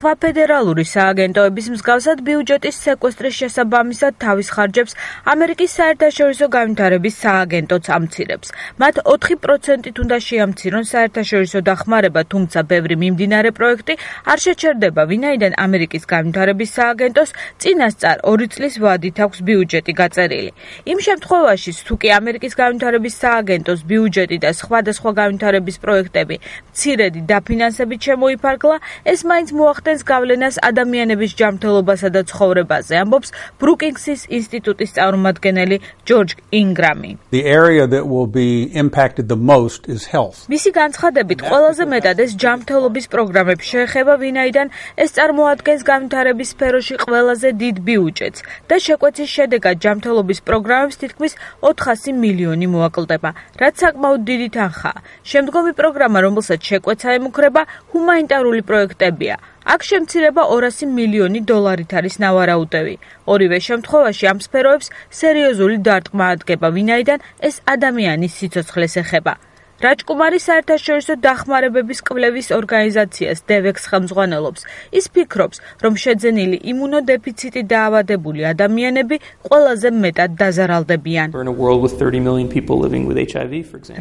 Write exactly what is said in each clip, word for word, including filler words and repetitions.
სხვა ფედერალური სააგენტოების მსგავსად ბიუჯეტის სეკვესტრის შესაბამისად თავის ხარჯებს ამერიკის საერთაშორისო განვითარების სააგენტოც ამცირებს. მათ ოთხი პროცენტით უნდა შეამცირონ საერთაშორისო დახმარება, თუმცა ბევრი მიმდინარე პროექტი არ შეჩერდება, ვინაიდან ამერიკის განვითარების სააგენტოს წინასწარ ორი წლის ვადით აქვს ბიუჯეტი გაწერილი. იმ შემთხვევაში, თუ კი ამერიკის განვითარების სააგენტოს ბიუჯეტი და სხვადასხვა განვითარების პროექტები მცირედი დაფინანსებით შემოიფარგლა, ეს მაინც მოახდენს გავლენას ადამიანების ჯანმრთელობასა და ცხოვრებაზე, ამბობს ბრუკინგსის ინსტიტუტის წარმომადგენელი ჯორჯ ინგრამი. The area that will be impacted the most is health. მისი განცხადებით, ყველაზე მეტად ეს ჯანმრთელობის პროგრამებს შეეხება, ვინაიდან ეს წარმოადგენს განვითარების სფეროში ყველაზე დიდ ბიუჯეტს და შეკვეცის შედეგად ჯანმრთელობის პროგრამებს თითქმის ოთხასი მილიონი მოაკლდება, რაც საკმაოდ დიდი თანხაა. შემდგომი პროგრამა, რომელსაც შეკვეცა ემუქრება, ჰუმანიტარული პროექტებია. აქ შემცირება ორასი მილიონი დოლარით არის ნავარაუდევი. ორივე შემთხვევაში ამ სფეროებს სერიოზული დარტყმა ადგება, ვინაიდან ეს ადამიანის სიცოცხლეს ეხება. რაჯკუმარი საერთაშორისო დახმარებების კვლევის ორგანიზაციას დევექს ხელმძღვანელობს. ის ფიქრობს, რომ შეძენილი იმუნოდეფიციტით დაავადებული ადამიანები ყველაზე მეტად დაზარალდებიან.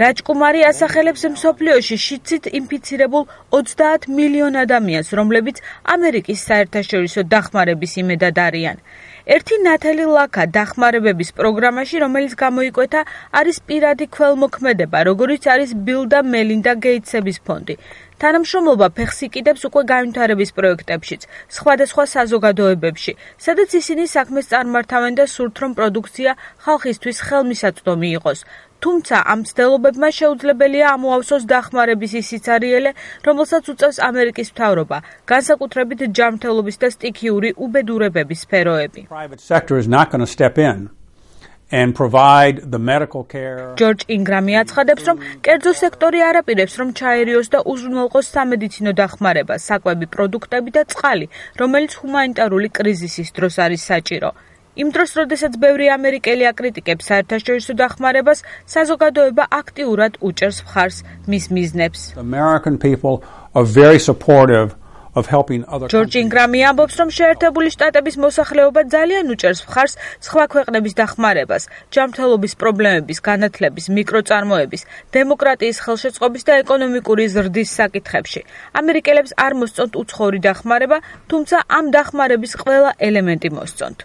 რაჯკუმარი ასახელებს მსოფლიოში შიდსით ინფიცირებულ ოცდაათ მილიონ ადამიანს, რომლებიც ამერიკის საერთაშორისო დახმარების იმედად არიან. ერთი ნათელი ლაქა დახმარებების პროგრამაში, რომელიც გამოიკვეთა, არის პირადი ქველმოქმედება, როგორიც არის ბილ და მელინდა გეიტსების ფონდი. თანამშრომლობა ფეხს იკიდებს უკვე განვითარების პროექტებშიც, სხვადასხვა საზოგადოებებში, სადაც ისინი საქმეს წარმართავენ და სურთ, რომ პროდუქცია ხალხისთვის ხელმისაწვდომი იყოს. თუმცა ამ მცდელობებმა შეუძლებელია ამოავსოს დახმარების ის სიცარიელე, რომელსაც უწევს ამერიკის მთავრობა, განსაკუთრებით ჯანმრთელობის და სტიქიური უბედურებების სფეროები. ჯორჯ ინგრამი აცხადებს, რომ კერძო სექტორი არ აპირებს, რომ ჩაერიოს და უზრუნველყოს სამედიცინო დახმარება, საკვები პროდუქტები და წყალი, რომელიც ჰუმანიტარული კრიზისის დროს არის საჭირო. იმ დროს, როდესაც ბევრი ამერიკელი აკრიტიკებს საერთაშორისო დახმარებას, საზოგადოება აქტიურად უჭერს მხარს მის მიზნებს. ჯორჯ ინგრამი ამბობს, რომ შეერთებული შტატების მოსახლეობა ძალიან უჭერს მხარს სხვა ქვეყნების დახმარებას, ჯანმრთელობის პრობლემების, განათლების, მიკროწარმოების, დემოკრატიის ხელშეწყობის და ეკონომიკური ზრდის საკითხებში. ამერიკელებს არ მოსწონთ უცხოური დახმარება, თუმცა ამ დახმარების ყველა ელემენტი მოსწონთ.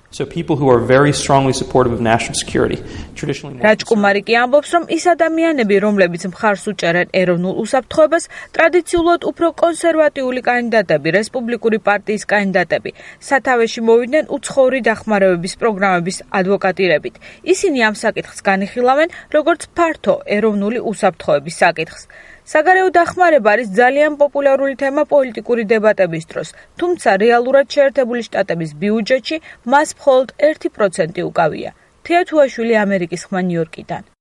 რაჯკუმარი კი ამბობს, რომ ის ადამიანები, რომლებიც მხარს უჭერენ ეროვნულ უსაფრთხოებას, ტრადიციულად უფრო კონსერვატიული კანდიდატები, რესპუბლიკური პარტიის კანდიდატები, სათავეში მოვიდნენ უცხოური დახმარებების პროგრამების ადვოკატირებით. ისინი ამ საკითხს განიხილავენ, როგორც ფართო ეროვნული უსაფრთხოების საკითხს. საგარეო დახმარება არის ძალიან პოპულარული თემა პოლიტიკური დებატების დროს, თუმცა რეალურად შეერთებული შტატების ბიუჯეტში მას მხოლოდ ერთი პროცენტი უკავია. თეა თუაშვილი, ამერიკის ხმა, ნიუ-იორკიდან.